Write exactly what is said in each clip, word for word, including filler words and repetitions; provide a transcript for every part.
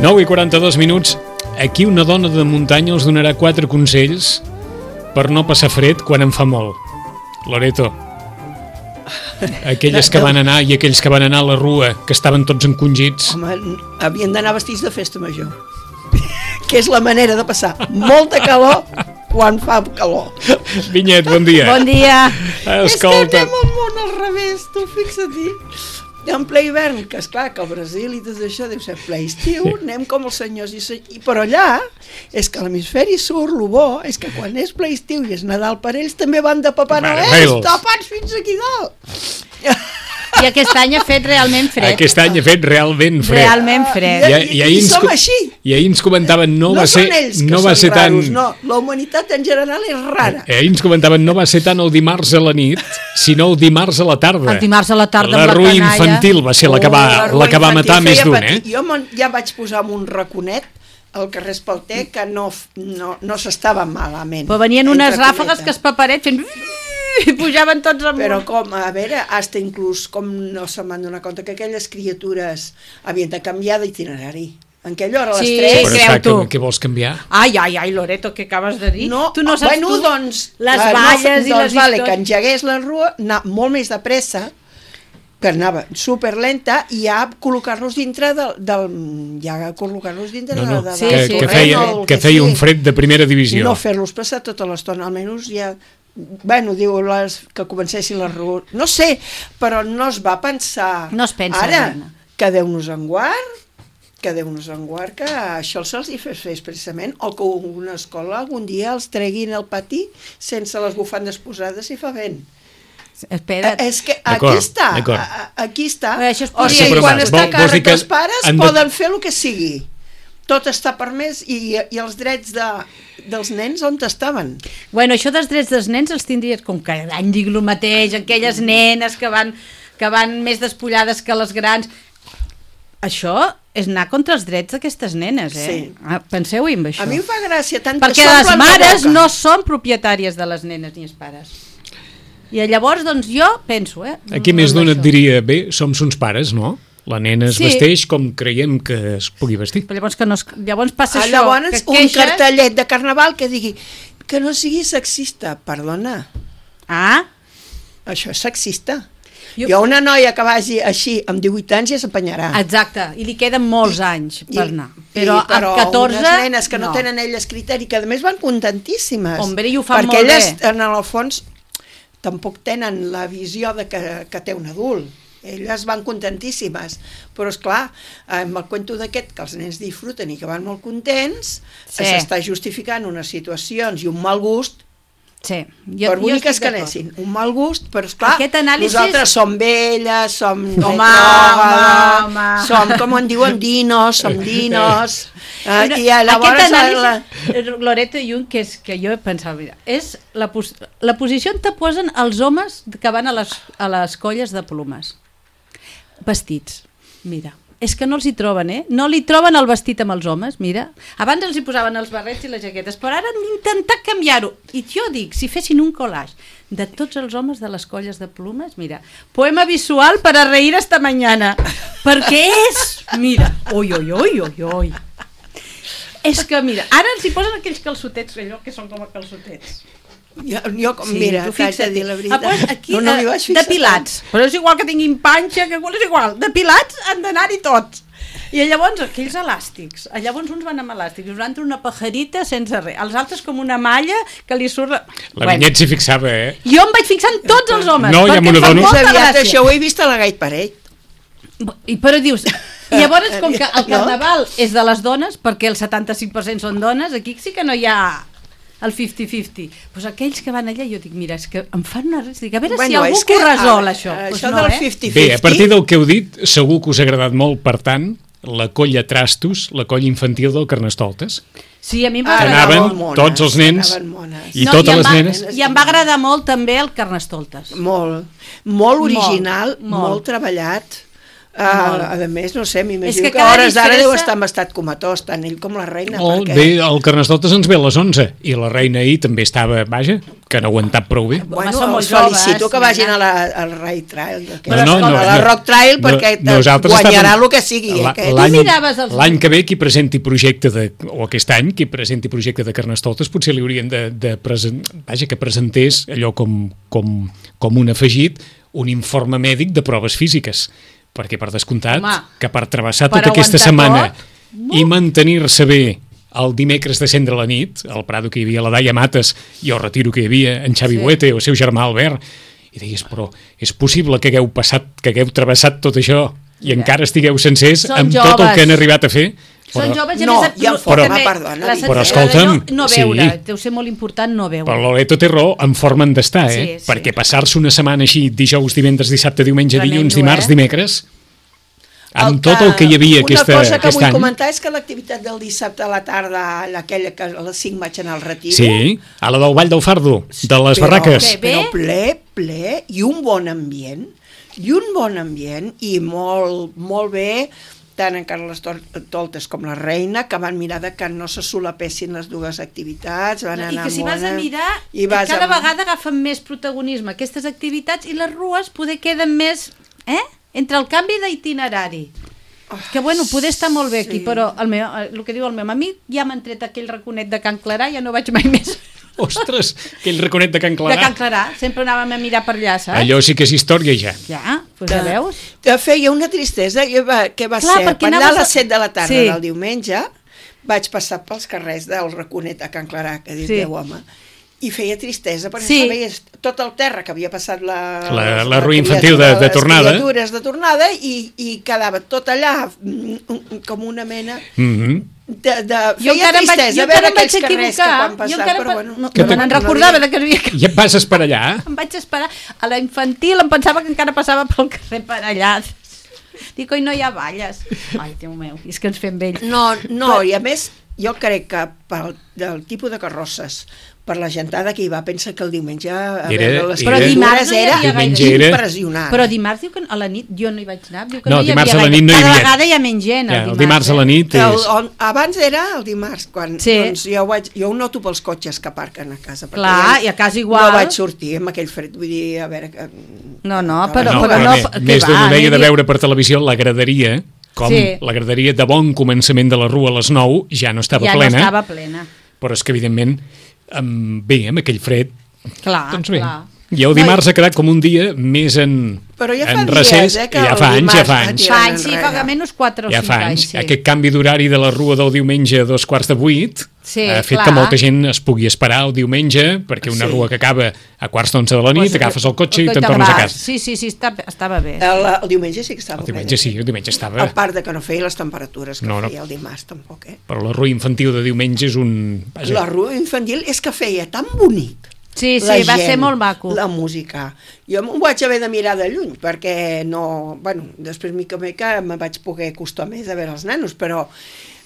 nou i quaranta-dos minuts. Aquí una dona de muntanya els donarà quatre consells per no passar fred quan en fa molt. Loreto, aquelles que van anar i aquells que van anar a la rua, que estaven tots encongits. Home, havien d'anar vestits de festa major, que és la manera de passar molta calor quan fa calor. Vinyet, bon dia. Bon dia. Escolta. És que anem al món al revés, tu fixa't-hi. En ple hivern, que esclar, que al Brasil i tot això deu ser ple estiu, anem com els senyors i senyors, i però allà és que a l'hemisferi sud, el bo és que quan és ple estiu i és Nadal per ells també van de Papà Noel, tapats fins aquí dalt. I aquest any ha fet realment fred. Aquest any ha fet realment fred. Realment fred. I, i, i, i som així. I ahir ens comentaven, no, no va ser... No són ells que no va són ser raros, tan... no. La humanitat en general és rara. Eh, ahir ens comentaven, no va ser tant el dimarts a la nit, sinó el dimarts a la tarda. El dimarts a la tarda la amb la rua canalla. Infantil va ser la que va, oh, la que va matar més d'un, eh? Jo ja vaig posar en un raconet al carrer Espalter que no, no, no s'estava malament. Però venien unes ràfegues que es paparet fent... i pujaven tots amunt. Però com, a veure, hasta inclús com no se m'han donat compte que aquelles criatures havien de canviar d'itinerari. En aquella hora a les sí, tres... Però creu tu. Què vols canviar? Ai, ai, ai, Loreto, què acabes de dir? No, tu no saps bueno, tu doncs, les uh, valles no, i doncs les vale, històries. que engegués la rua, anar molt més de pressa, que anava superlenta, i ja col·locar-los dintre del... del ja col·locar-los dintre no, no, de, de, sí, que, sí. que feia, el que feia un fred de primera I divisió. no fer-los passar tota l'estona, almenys ja... Bueno, diu les, que comencessin les rues. No sé, però no es va pensar... No es pensa, ara, dona. que Déu-nos en guard, que Déu-nos en guard, que això se'ls hi fes expressament, o que una escola algun dia els treguin al pati sense les bufandes posades si fa vent. Espera't. Eh, és que aquí està, a, aquí està. Bé, això es o podria... sigui, Sí, quan va, està vol- a vols dir càrrec que dels pares han de- poden fer el que sigui. Tot està permès i, i els drets de, dels nens on estaven? Bueno, això dels drets dels nens els tindries com que cada any dic el mateix, aquelles nenes que van, que van més despullades que les grans. Això és anar contra els drets d'aquestes nenes, eh? Sí. Ah, penseu-hi amb això. A mi em fa gràcia tant perquè que les s'omplen la mares boca. no són propietàries de les nenes ni els pares. I llavors, doncs, jo penso, eh? Aquí més amb d'un et això. diria, bé, som uns pares, no? La nena es Sí. vesteix com creiem que es pugui vestir. Però llavors, que no es... llavors passa Ah, això, llavors, que un queixes... cartellet de carnaval que digui que no sigui sexista, perdona. Ah, Això és sexista. Jo- Jo, una noia que vagi així amb divuit anys ja s'apanyarà. exacte, i li queden molts anys per anar. Però, I, però amb catorze... unes nenes que no, no tenen elles criteri, que a més van contentíssimes. Hombre, i ho fan perquè molt elles, bé. en el fons, tampoc tenen la visió de que, que té un adult. Elles van contentíssimes, però és clar, amb el cuento d'aquest que els nens disfruten i que van molt contents, Sí. s'està justificant unes situacions i un mal gust, Sí, jo, per boniques que anessin, un mal gust, però esclar, Aquest anàlisi... nosaltres som velles, som Home, retrògrades, home, home. som, com en diuen, dinos, som dinos, eh, Una- i llavors... Aquest La, anàlisi, Loreto Jung, que és que jo he pensat, mira, és la, pos la posició on te posen els homes que van a les, a les colles de plomes. Vestits, mira. És que no els hi troben, eh? No li troben el vestit amb els homes, mira. Abans els hi posaven els barrets i les jaquetes, però ara han d'intentar canviar-ho. I jo dic, si fessin un collage de tots els homes de les colles de plomes, mira, poema visual per a reír esta mañana, perquè és, mira, oi, oi, oi, oi, oi. És que, mira, ara els hi posen aquells calçotets, allò que són com a calçotets. Jo, jo com, Sí, mira, tu t'haig de fixa't. dir la Ah, veritat. pues aquí, no, no m'hi eh, vaig fixar depilats. Però és igual que tinguin panxa, que és igual. Depilats han d'anar-hi tots. I llavors aquells elàstics, llavors uns van amb elàstics, uns van una pajarita sense res, els altres com una malla que li surt... La bueno. Vinyet s'hi fixava, eh? Jo em vaig fixar en tots els homes, no, ja perquè em fa dono. molta Més aviat gràcia. això ho he vist a la Gait Parell. I, però dius... I llavors, com que el carnaval és de les dones, perquè el setanta-cinc per cent són dones, aquí sí que no hi ha el cinquanta cinquanta. Doncs aquells que van allà, jo dic, mira, és que em fan una res, dic, a veure bueno, si algú que ho resol, a, això. Això pues no, del eh? cinquanta cinquanta... Bé, a partir del que heu dit, segur que us ha agradat molt, per tant, la colla Trastos, la colla infantil del Carnestoltes. Sí, a mi em va Ah, agradar anaven molt. mones, tots els nens anaven mones. i No, totes i em les va- nenes. I em va agradar molt també el Carnestoltes. Molt, molt original, Molt, molt, molt. molt treballat. Uh, Molt. a més, no sé, És m'imagino que que, que cada a hores d'ara disfressa- deu estar en estat comatós, tant ell com la reina. Oh, perquè... bé, el Carnestoltes ens ve a les onze i la reina ahir també estava, vaja, que no ha aguantat prou bé. Bueno, Home, són molt els felicito joves, que vagin nena. a la, al Rai Trail, Però no, no, no, a la no, Rock Trail, no, perquè te nosaltres guanyarà estàvem- el que sigui. La- aquest. L'any Tu miraves els- l'any que ve qui presenti projecte de, o aquest any qui presenti projecte de Carnestoltes potser li haurien de, de present, vaja, que presentés allò com, com, com un afegit, un informe mèdic de proves físiques, perquè per descomptat Home, que per travessar per tota aquesta aguantar setmana tot, i mantenir-se bé el dimecres de cendre la nit, al Prado que hi havia la Daia Mates i al Retiro que hi havia en Xavi Sí. Huete o el seu germà Albert, i deies, però és possible que hagueu passat, que hagueu travessat tot això i Mira. encara estigueu sencers Són amb tot el joves. que han arribat a fer? Són joves i a No, més... i el però- forma, també perdona, la Vicky. Però sensació de escolta'm, no, no veure, sí. deu ser molt important no veure. Però l'Oleto té raó, en forma han d'estar, eh? Sí, sí. Perquè passar-se una setmana així, dijous, divendres, dissabte, diumenge, Tremendo, dilluns, dimarts, eh? dimecres, amb El tot el que hi havia aquesta, Una cosa que aquest vull any... comentar és que l'activitat del dissabte a la tarda, aquella que a les cinc vaig anar al Retiro, Sí, a la del Vall del Fardo, de les però, barraques. Què? Bé? però ple, ple, i un bon ambient, i un bon ambient, i molt, molt bé, tant en Carles Tol- Toltes com la reina, que van mirar de que no se solapessin les dues activitats, van I anar que si vas a mona, mirar, i vas cada amb- vegada agafen més protagonisme aquestes activitats i les rues poder queden més... Eh? Entre el canvi d'itinerari. Que bueno, poder estar molt bé aquí, sí. però el, meu, el que diu el meu amic, ja m'han tret aquell raconet de Can Clarà, ja no vaig mai més Ostres, aquell raconet de Can de Can Clarà. Clarà. Sempre anàvem a mirar per allà, saps? Allò sí que és història ja. Ja, doncs ja veus? Te feia una tristesa, jo va, que va Clar, ser, perquè per anar anaves a a- les set de la tarda Sí. del diumenge, vaig passar pels carrers del Raconet a Can Clarà, que dius, Sí. Déu home, i feia tristesa, perquè Sí. sí. veies tot el terra que havia passat la... La- la rua infantil de- de les tornada. criatures de tornada, i, i quedava tot allà mm, com una mena Mhm. de... de Jo feia encara em vaig, tristesa jo veure encara em vaig aquells carrers que equivocar. quan Jo passar, encara però pa- bueno... no, Que no te- me'n recordava de que havia... Ja passes per allà? Em vaig esperar. A la infantil em pensava que encara passava pel carrer per allà. Dic, oi, no hi ha valles. Ai, Déu meu, és que ens fem vells. No, no, i a més, jo crec que pel del tipus de carrosses, per la gentada que hi va, pensa que el diumenge a Era- veure les era- Però dimarts criatures no hi era havia Diumenge gaire. era- impressionant. Però dimarts diu que a la nit, jo no hi vaig anar, diu que No, no, hi dimarts havia a la gaire. nit no hi Cada havia. vegada hi ha menys gent, Ja, el el dimarts. dimarts a la eh? nit Que el, és... on, abans era el dimarts, quan Sí. doncs jo, vaig, jo ho noto pels cotxes que aparquen a casa. perquè Clar, jo i a casa igual. No vaig sortir amb aquell fred, vull dir, a veure... Que, No, no, que- però- no, però però no, més, que més va, d'una no hi deia de havia- veure per televisió la graderia, com Sí. la graderia de bon començament de la rua a les nou ja no estava ja plena, no estava plena. però és que evidentment amb, bé, amb aquell fred Clar, doncs bé, clar. i el dimarts ha quedat com un dia més en, Però ja fa en dies, recés, eh, que ja el fa anys, ja dimarts fa va anys tirar Fa anys, sí, enrere. fa menys quatre o ja cinc fa anys. anys, Sí. aquest canvi d'horari de la rua del diumenge a dos quarts de vuit Sí, ha fet clar. que molta gent es pugui esperar el diumenge, perquè una Sí. rua que acaba a quarts d'onze de la nit, Pues, agafes el cotxe i te'n te'n tornes a vas. casa. Sí, sí, sí, està, estava bé. El, el diumenge sí que estava El diumenge sí, el diumenge estava... A part de que no feia les temperatures que No, no. feia el dimarts, tampoc, eh? Però la rua infantil de diumenge és un... Vaja, La rua infantil és que feia tan bonic. Sí, sí, la va gent, ser molt maco. La música. Jo m'ho vaig haver de mirar de lluny, perquè no... Bueno, després mica en mica me vaig poder acostar més a veure els nanos, però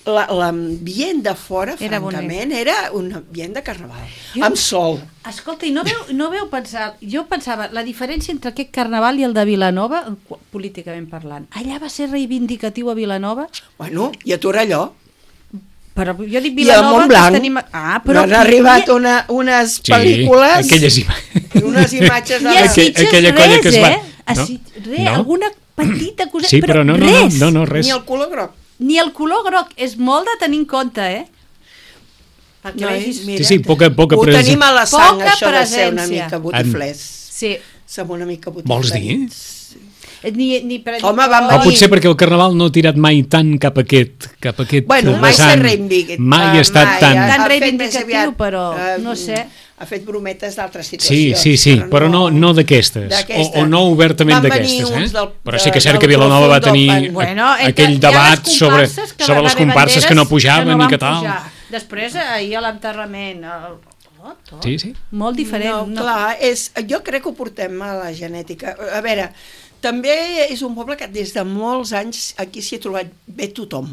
la- l'ambient de fora, Era francament, era un ambient de carnaval. Jo- Amb sol. Escolta, i no veu, no veu pensar... Jo pensava, la diferència entre aquest carnaval i el de Vilanova, qu- políticament parlant, allà va ser reivindicatiu a Vilanova, Bueno, i a Torelló. però jo dic I a Vilanova... Montblanc. que tenim... Ah, Però però... han arribat una, unes sí, pel·lícules, aquelles imatges... unes imatges de... I a Aquell- Sitges aquella res, colla que es va- eh? A No? Sitges, res, No? alguna petita coseta, Sí, però no, no, no, res. no, no, res. Ni el color groc. Ni el color groc, és molt de tenir en compte, eh? perquè No, vegis... mira, Sí, sí, poca, poca ho presència. tenim a la sang, Poca això de ser una presència. mica botiflers. Sí. Som una mica botiflers. Vols dir? Ni, ni per Home, van O venir- potser perquè el Carnaval no ha tirat mai tant cap a aquest, cap a aquest Bueno, mai s'ha vessant. reivindicat. Mai ha estat mai, tan... ha- Tan ha fet reivindicatiu, més aviat, però eh, no sé. Ha fet brometes d'altres Sí, situacions. sí, sí, però no, no d'aquestes, o, o no obertament Van venir d'aquestes, uns eh? del- Però sí que és del cert que Vilanova va tenir profundo, Bueno, a- eh, aquell hi ha les debat sobre, comparses que sobre van les haver comparses que no banderes pujaven que no i van que tal. pujar. Després, ahir a l'enterrament, el... tot, tot. Sí, sí. Molt diferent. No, clar, és, jo crec que ho portem a la genètica. A veure, també és un poble que des de molts anys aquí s'hi ha trobat bé tothom.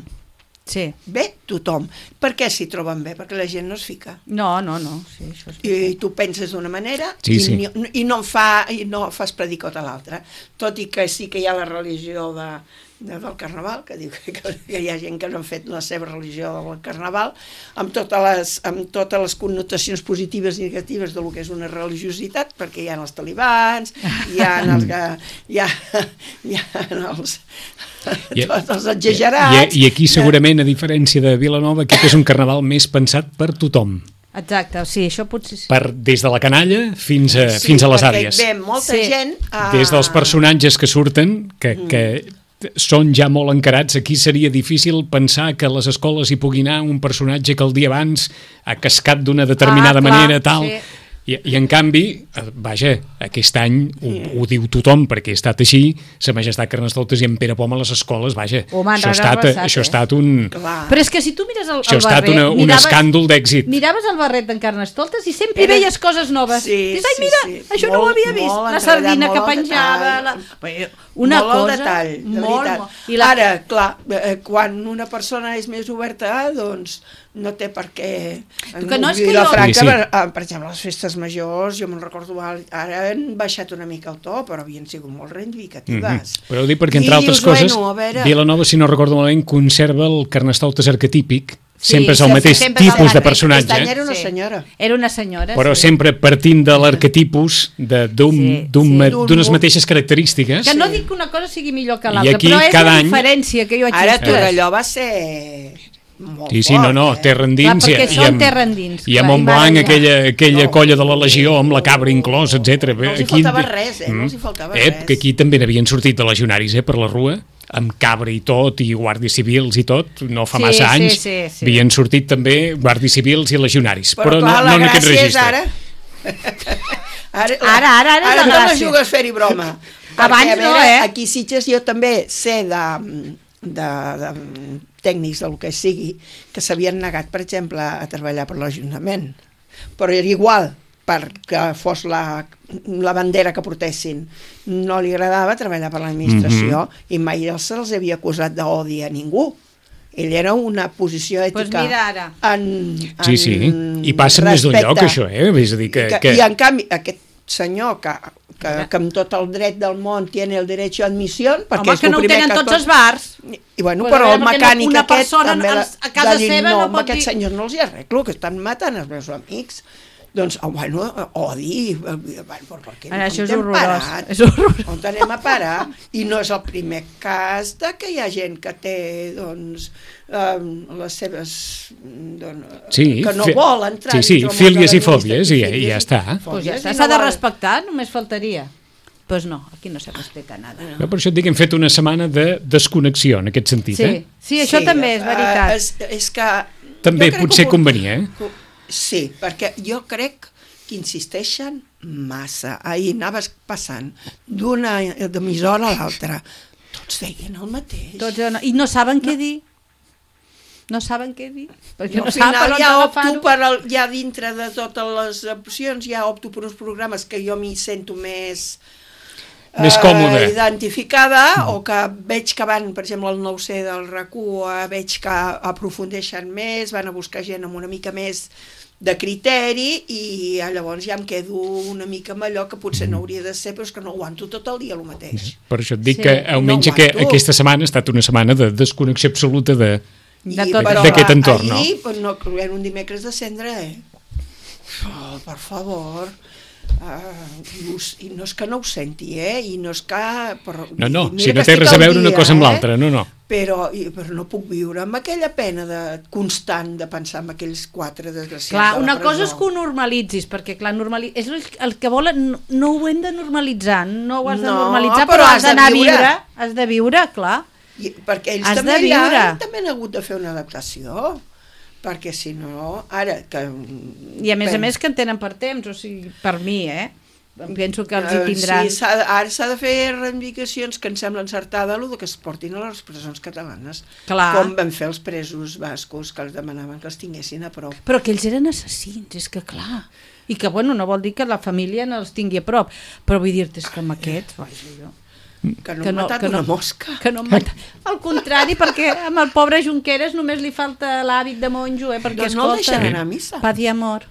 Sí. Bé tothom. Per què s'hi troben bé? Perquè la gent no es fica. No, no, no. Sí, això és... I tu penses d'una manera Sí, i, sí. ni, i, no fa, i no fas predicot a l'altra. Tot i que sí que hi ha la religió de, de, del Carnaval, que diu que, que hi ha gent que no ha fet la seva religió del Carnaval, amb totes les, amb totes les connotacions positives i negatives del que és una religiositat, perquè hi ha els talibans, hi ha els, hi ha, hi ha els, I, tots els exagerats. I, I aquí segurament, a diferència de Vilanova, aquest és un Carnaval més pensat per tothom. Exacte, sí, això potser sí. Per, des de la canalla fins a, Sí, fins a les perquè àvies. ve molta Sí. gent... A... Des dels personatges que surten, que, que són ja molt encarats, aquí seria difícil pensar que a les escoles hi pugui anar un personatge que el dia abans ha cascat d'una determinada Ah, clar, manera, tal... sí. I, I en canvi, eh, vaja, aquest any ho, ho diu tothom perquè ha estat així, Sa Majestat Carnestoltes i en Pere Pom a les escoles, vaja, Ho m'han això ha estat, regassat, això ha eh? estat un... Clar. Però és que si tu mires el, Això ha el estat barret... una, un miraves- escàndol d'èxit. Miraves el barret d'en Carnestoltes i sempre Era- veies coses noves. Sí, Dius, ai, sí, mira, sí. això no ho Molt, havia vist. molt La entregat, sardina molt que al penjava... La... detall. Una molt cosa... al detall, de molt, veritat. molt. I la... Ara, clar, eh, quan una persona és més oberta, doncs no té per què... Que no és que la jo- Franca, Sí, sí. per, eh, per exemple, les festes majors, jo me'n recordo, ara han baixat una mica el to, però havien sigut molt reivindicatives. Mm -hmm. Però ho dic perquè, entre I altres dius, coses, bueno, a veure... Vilanova, si no recordo malament, conserva el Carnestoltes arquetípic, Sí, sempre és el sí, mateix sempre és el tipus de mateix. personatge, Aquest any era una Sí. senyora. Era una senyora, però sí. sempre partint de l'arquetipus de- d'un- Sí, d'un sí. ma- D'un d'unes mo- mateixes característiques. Que no Sí. dic que una cosa sigui millor que I l'altra, aquí, però és cada la any- diferència que jo vaig Ara dir. Torelló va ser molt Sí, sí, no, no, fort, eh? terra endins. Clar, perquè i són amb- terra endins, I a clar, i Montblanc, van allà. aquella, aquella No. colla de la Legió, amb la cabra inclòs, etcètera. No els hi faltava res, eh? No els hi faltava eh, res. Que aquí també n'havien sortit de legionaris, eh, per la rua, amb cabra i tot, i guàrdies civils i tot, no fa Sí, massa sí, anys, sí, sí. havien sortit també guàrdies civils i legionaris, però, Però, clar, no, la no en aquest gràcia és registre. ara... ara, Ara, ara, ara és la ara gràcia. te la jugues fer-hi broma. Abans Perquè, a no, veure, eh? Aquí a Sitges jo també sé de, de, de tècnics del que sigui que s'havien negat, per exemple, a treballar per l'Ajuntament. Però era igual, perquè fos la, la bandera que portessin. No li agradava treballar per l'administració Mhm. i mai se'ls havia acusat d'odi a ningú. Ell era una posició ètica. Pues mira ara. En, Sí, sí, en i passa en més d'un lloc, respecte. això, eh? És a dir, que... que, que... I en canvi, aquest senyor que, que, que amb tot el dret del món tiene el derecho a admisión, perquè Home, és que el no ho primer tenen que tots tot- els bars. I bueno, Pues però a el veure, perquè mecànic una aquest persona també als- a casa de dir, seva no, no amb pot aquests dir- senyors no els hi arreglo, que estan matant els meus amics. Doncs, oh, bueno, odi, eh, bueno, per què Ara, no això és t'hem horrorós, parat? és horrorós. On anem a parar? I no és el primer cas de que hi ha gent que té, doncs, eh, les seves... Doncs, Sí, que no fi- vol entrar... sí, sí, dintre el món de fílies i l'administració, fòbies, i- i fílies ja està. Pues fòbies, ja i està, no s'ha de vol- respectar, només faltaria. Pues no, aquí no se respecta nada. Jo per això et dic que hem fet una setmana de desconnexió, en aquest sentit, Sí, eh? sí, això també és veritat. eh, és, és que... També jo crec potser que ho- convenia, eh? Sí, perquè jo crec que insisteixen massa. Ahir anaves passant d'una emissora a l'altra. Tots deien el mateix. Tots, I no saben què dir. No saben què dir. Perquè I no al saben per final on ja opto agafar-ho. per el, ja dintre de totes les opcions, ja opto per uns programes que jo m'hi sento més Més còmode. identificada, o que veig que van, per exemple, el nou C del RAC u, eh, veig que aprofundeixen més, van a buscar gent amb una mica més de criteri, i llavors ja em quedo una mica amb allò que potser no hauria de ser, però és que no aguanto tot el dia el mateix. Per això et dic Sí, que almenys no que aguanto. aquesta setmana ha estat una setmana de desconnexió absoluta de... De I, tot però, d'aquest clar, entorn, no? ahir, pues, no, era un dimecres de cendre, eh? Oh, per favor... Uh, i no és que no ho senti, eh? I no és que... Però, No, no, mira si no que té estic res a al veure una dia, cosa amb eh? l'altra, no, no. però, i, però no puc viure amb aquella pena de, constant de pensar en aquells quatre desgraciats clar, de la una presó. cosa és que ho normalitzis, perquè clar, normali... és el, el que volen, no, no ho hem de normalitzar, no ho has de No, normalitzar, però però, has has d'anar a de viure. viure, has de viure, clar. I, perquè ells Has també de allà viure. també han hagut de fer una adaptació, perquè si no, ara que... I a més pen- a més que en tenen per temps, o sigui, per mi, eh? Penso que els hi Eh, tindran... Sí, s'ha, ara s'ha de fer reivindicacions que em sembla encertada el que es portin a les presons catalanes. Clar. Com van fer els presos bascos que els demanaven que els tinguessin a prop. Però que ells eren assassins, és que clar. I que, bueno, no vol dir que la família no els tingui a prop, però vull dir-te és que amb aquests, vaja, jo... Que no han matat una mosca. Que no han matat. Al contrari, perquè amb el pobre Junqueras només li falta l'hàbit de monjo, eh? Perquè, Doncs no el escolta, deixen anar a missa. Paz i amor.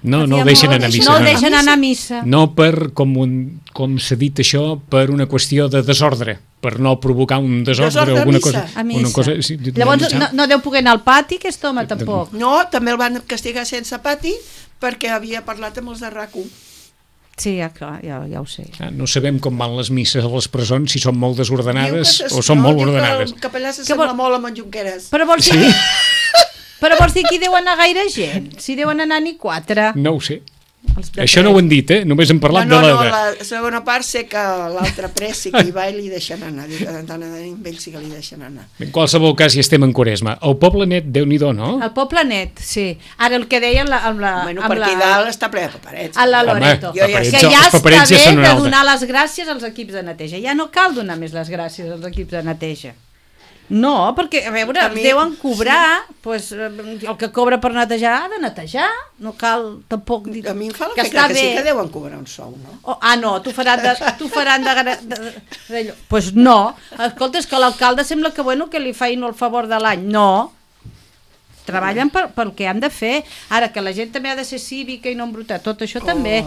No, no Paz i el deixen amor, anar a missa. No el no. deixen anar a missa. No per, com, un, com s'ha dit això, per una qüestió de desordre, per no provocar un desordre Desordre o a alguna missa. cosa. A missa. Una cosa sí, Llavors no, no, no deu poder anar al pati, aquest home, tampoc. No, també el van castigar sense pati perquè havia parlat amb els de RAC u. Sí, ja, clar, ja, ja ho sé. Ah, no sabem com van les misses a les presons, si són molt desordenades Diu que o són no, molt diu ordenades. Que el capellà Que s'assembla vol- molt amb en Junqueras. Però vols dir, Sí? però vols dir que hi deuen anar gaire gent? Si deuen anar ni quatre. No ho sé. Els de Això no ho han dit, eh? Només hem parlat no, no, de no, la... la segona part sé que l'altre pres sí que hi va i li deixen anar. Diu que de tant en tant amb ell sí que li deixen anar. En qualsevol cas, hi estem en Quaresma. El poble net, Déu-n'hi-do, no? El poble net, sí. Ara el que deia amb la... Amb la Bueno, amb per aquí la, dalt està ple de paperets. a la Home, Loreto. jo ja paperets, sé. Que ja els paperets està ja bé són una de altra. donar les gràcies als equips de neteja. Ja no cal donar més les gràcies als equips de neteja. No, perquè, a veure, A els mi- deuen cobrar, sí. pues, eh, el que cobra per netejar ha de netejar, no cal tampoc dir A mi em fa que l'efecte està que, bé. sí que deuen cobrar un sou, no? Oh, ah, no, t'ho faran de... T'ho faran de, de, de, de pues no. Escolta, és que l'alcalde sembla que, bueno, que li feien el favor de l'any. No. Treballen per, pel que han de fer. Ara, que la gent també ha de ser cívica i no embrutar. Tot això també.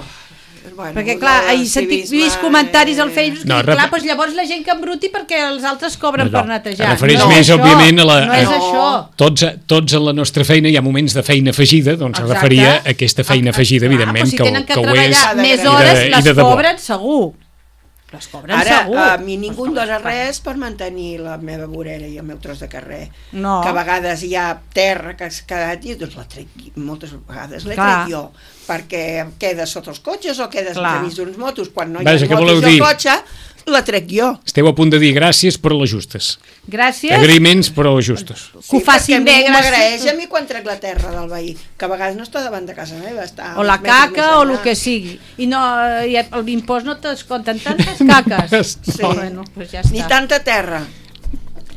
Bueno, Perquè, clar, he sentit vist comentaris al Facebook No, i, rep- clar, doncs llavors la gent que embruti perquè els altres cobren No, no. per netejar. Es refereix no, més, això, òbviament, a la- No és a- això. Tots, tots en la nostra feina hi ha moments de feina afegida, doncs se Exacte. referia a aquesta feina afegida, Clar, evidentment, però si que, tenen que, que ho és. treballar de més gra- hores, i de- i les de debò. cobren segur. Les cobren Ara, segur. a mi ningú em dona res per mantenir la meva vorera i el meu tros de carrer. No. Que a vegades hi ha terra que has quedat i doncs la trec, moltes vegades l'he Clar. tret jo, perquè quedes sota els cotxes o quedes Clar. entremig d'uns motos. Quan no hi Vaja, ha què motos voleu i el dir? cotxe, la trec jo. Esteu a punt de dir gràcies per les justes. Gràcies. Agraïments per les justes. Que ho facin bé, perquè gràcies. m'agraeix a mi quan trec la terra del veí, que a vegades no està davant de casa meva, està... O la uns metres caca més o enllà. el que sigui. I no, i l'impost no t'escompten tantes caques. Sí. Bueno, pues ja està. Ni tanta terra.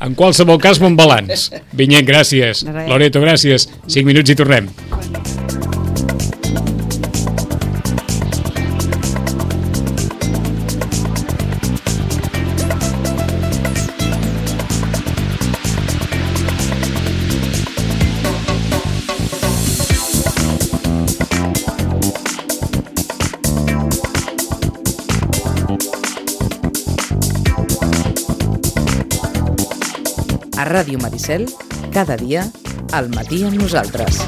En qualsevol cas, bon balanç. Vinyet, gràcies. De res. Loreto, gràcies. Cinc minuts i tornem. A Ràdio Maricel, cada dia, al matí amb nosaltres.